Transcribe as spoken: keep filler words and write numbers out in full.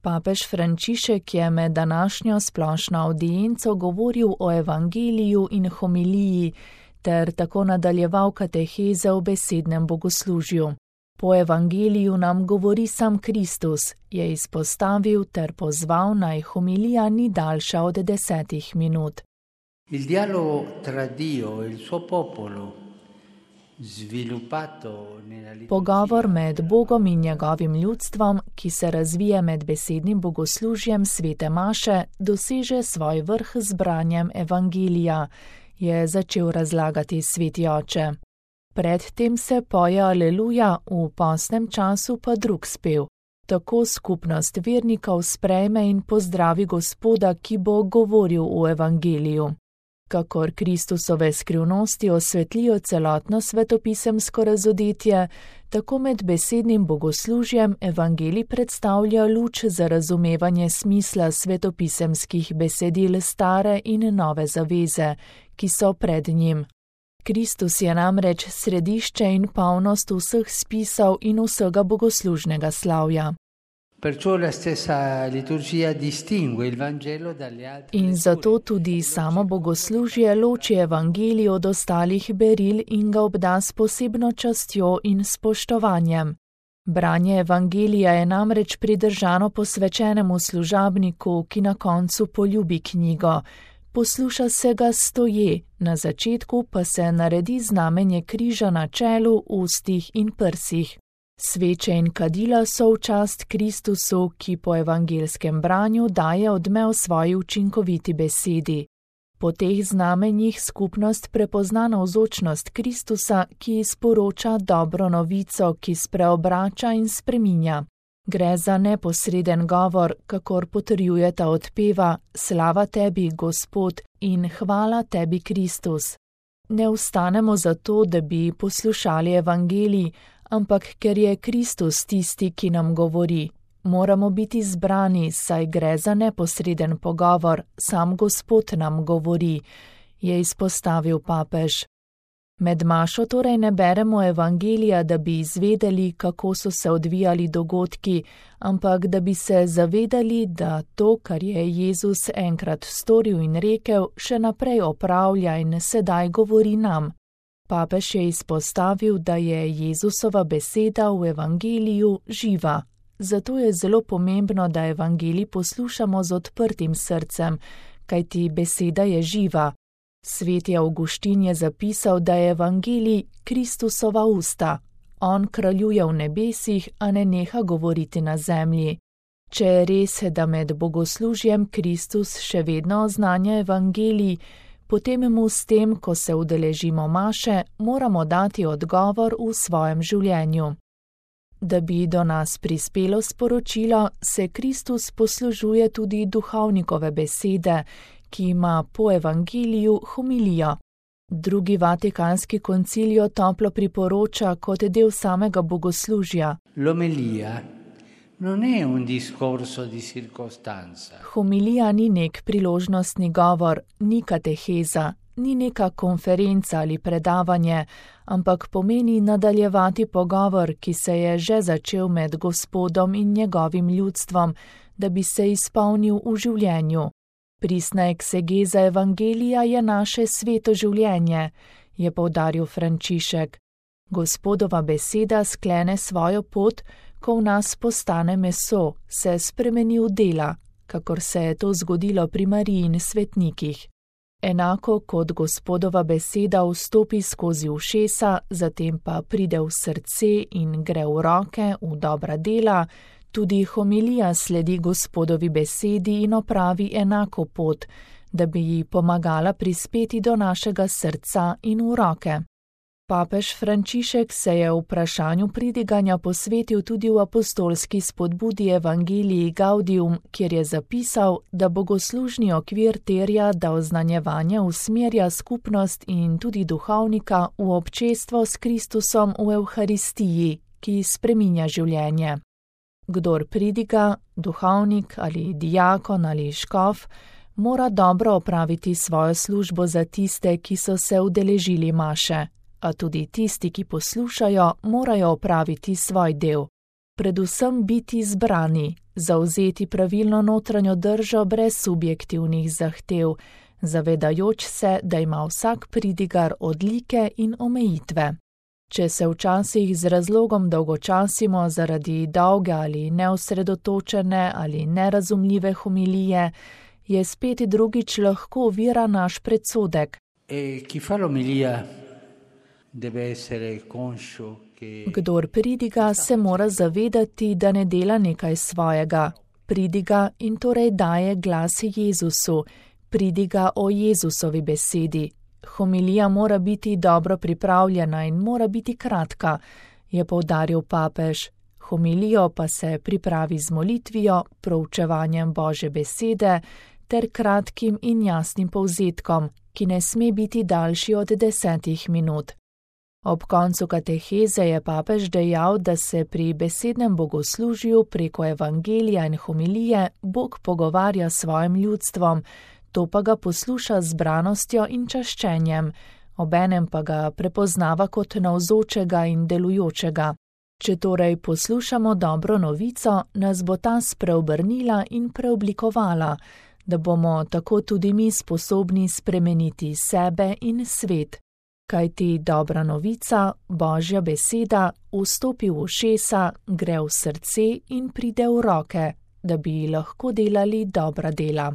Papež Frančišek je med današnjo splošno avdienco govoril o evangeliju in homiliji ter tako nadaljeval kateheze v besednem bogoslužju. Po evangeliju nam govori sam Kristus, je izpostavil ter pozval, naj homilija ni daljša od desetih minut. Il dialogo tra Dio e il suo popolo, sviluppato nella liturgia. Pogovor med Bogom in njegovim ljudstvom, ki se razvije med besednim bogoslužjem svete maše, doseže svoj vrh z branjem evangelija, je začel razlagati sveti oče. Predtem se poje aleluja, v postnem času pa drug spev. Tako skupnost vernikov sprejme in pozdravi Gospoda, ki bo govoril v evangeliju. Kakor Kristusove skrivnosti osvetlijo celotno svetopisemsko razodetje, tako med besednim bogoslužjem evangelij predstavlja luč za razumevanje smisla svetopisemskih besedil stare in nove zaveze, ki so pred njim. Kristus je namreč središče in polnost vseh spisov in vsega bogoslužnega slavja. In zato tudi samo bogoslužje loči evangelij od ostalih beril in ga obda s posebno častjo in spoštovanjem. Branje evangelija je namreč pridržano posvečenemu služabniku, ki na koncu poljubi knjigo. Posluša se ga stoje, na začetku pa se naredi znamenje križa na čelu, ustih in prsih. Sveče in kadila so v čast Kristusu, ki po evangelskem branju daje odmev svoji učinkoviti besedi. Po teh znamenjih skupnost prepozna navzočnost Kristusa, ki sporoča dobro novico, ki spreobrača in spreminja. Gre za neposreden govor, kakor potrjujeta odpeva Slava tebi, Gospod, in hvala tebi, Kristus. Ne vstanemo zato, da bi poslušali evangelij, ampak ker je Kristus tisti, ki nam govori. Moramo biti zbrani, saj gre za neposreden pogovor, sam Gospod nam govori, je izpostavil papež. Med mašo torej ne beremo evangelija, da bi izvedeli, kako so se odvijali dogodki, ampak da bi se zavedali, da to, kar je Jezus enkrat storil in rekel, še naprej opravlja in sedaj govori nam. Papež je izpostavil, da je Jezusova beseda v evangeliju živa. Zato je zelo pomembno, da evangelij poslušamo z odprtim srcem, kajti beseda je živa. Sveti Avguštin je zapisal, da je evangelij Kristusova usta. On kraljuje v nebesih, a ne neha govoriti na zemlji. Če je res, da med bogoslužjem Kristus še vedno oznanja evangelij, potem mu s tem, ko se udeležimo maše, moramo dati odgovor v svojem življenju. Da bi do nas prispelo sporočilo, se Kristus poslužuje tudi duhovnikove besede, ki ima po evangeliju homilijo. Drugi vatikanski koncil jo toplo priporoča kot del samega bogoslužja. L'omelia non è un discorso di circostanza. Homilija ni nek priložnostni govor, ni kateheza, ni neka konferenca ali predavanje, ampak pomeni nadaljevati pogovor, ki se je že začel med Gospodom in njegovim ljudstvom, da bi se izpolnil v življenju. Pristna eksegeza evangelija je naše sveto življenje, je poudaril Frančišek. Gospodova beseda sklene svojo pot, ko v nas postane meso, se spremeni v dela, kakor se je to zgodilo pri Mariji in svetnikih. Enako kot Gospodova beseda vstopi skozi ušesa, zatem pa pride v srce in gre v roke, v dobra dela, tudi homilija sledi Gospodovi besedi in opravi enako pot, da bi ji pomagala prispeti do našega srca in v roke. Papež Frančišek se je vprašanju pridiganja posvetil tudi v apostolski spodbudi Evangelii Gaudium, kjer je zapisal, da bogoslužni okvir terja, da oznanjevanje usmerja skupnost in tudi duhovnika v občestvo s Kristusom v Evharistiji, ki spreminja življenje. Kdor pridiga, duhovnik ali diakon ali škof, mora dobro opraviti svojo službo za tiste, ki so se udeležili maše, a tudi tisti, ki poslušajo, morajo opraviti svoj del. predvsem biti zbrani, zavzeti pravilno notranjo držo brez subjektivnih zahtev, zavedajoč se, da ima vsak pridigar odlike in omejitve. Če se včasih z razlogom dolgočasimo zaradi dolge ali neosredotočene ali nerazumljive homilije, je spet drugič lahko ovira naš predsodek. E chi fa l'omelia deve essere conscio che Kdor pridiga, se mora zavedati, da ne dela nekaj svojega. Pridiga in torej daje glas Jezusu, pridiga o Jezusovi besedi. Homilija mora biti dobro pripravljena in mora biti kratka, je poudaril papež. Homilijo pa se pripravi z molitvijo, proučevanjem Božje besede ter kratkim in jasnim povzetkom, ki ne sme biti daljši od desetih minut. Ob koncu kateheze je papež dejal, da se pri besednem bogoslužju preko evangelija in homilije Bog pogovarja s svojim ljudstvom, to pa ga posluša z zbranostjo in čaščenjem, obenem pa ga prepoznava kot navzočega in delujočega. Če torej poslušamo dobro novico, nas bo ta spreobrnila in preoblikovala, da bomo tako tudi mi sposobni spremeniti sebe in svet. Kajti dobra novica, Božja beseda, vstopi v ušesa, gre v srce in pride v roke, da bi lahko delali dobra dela.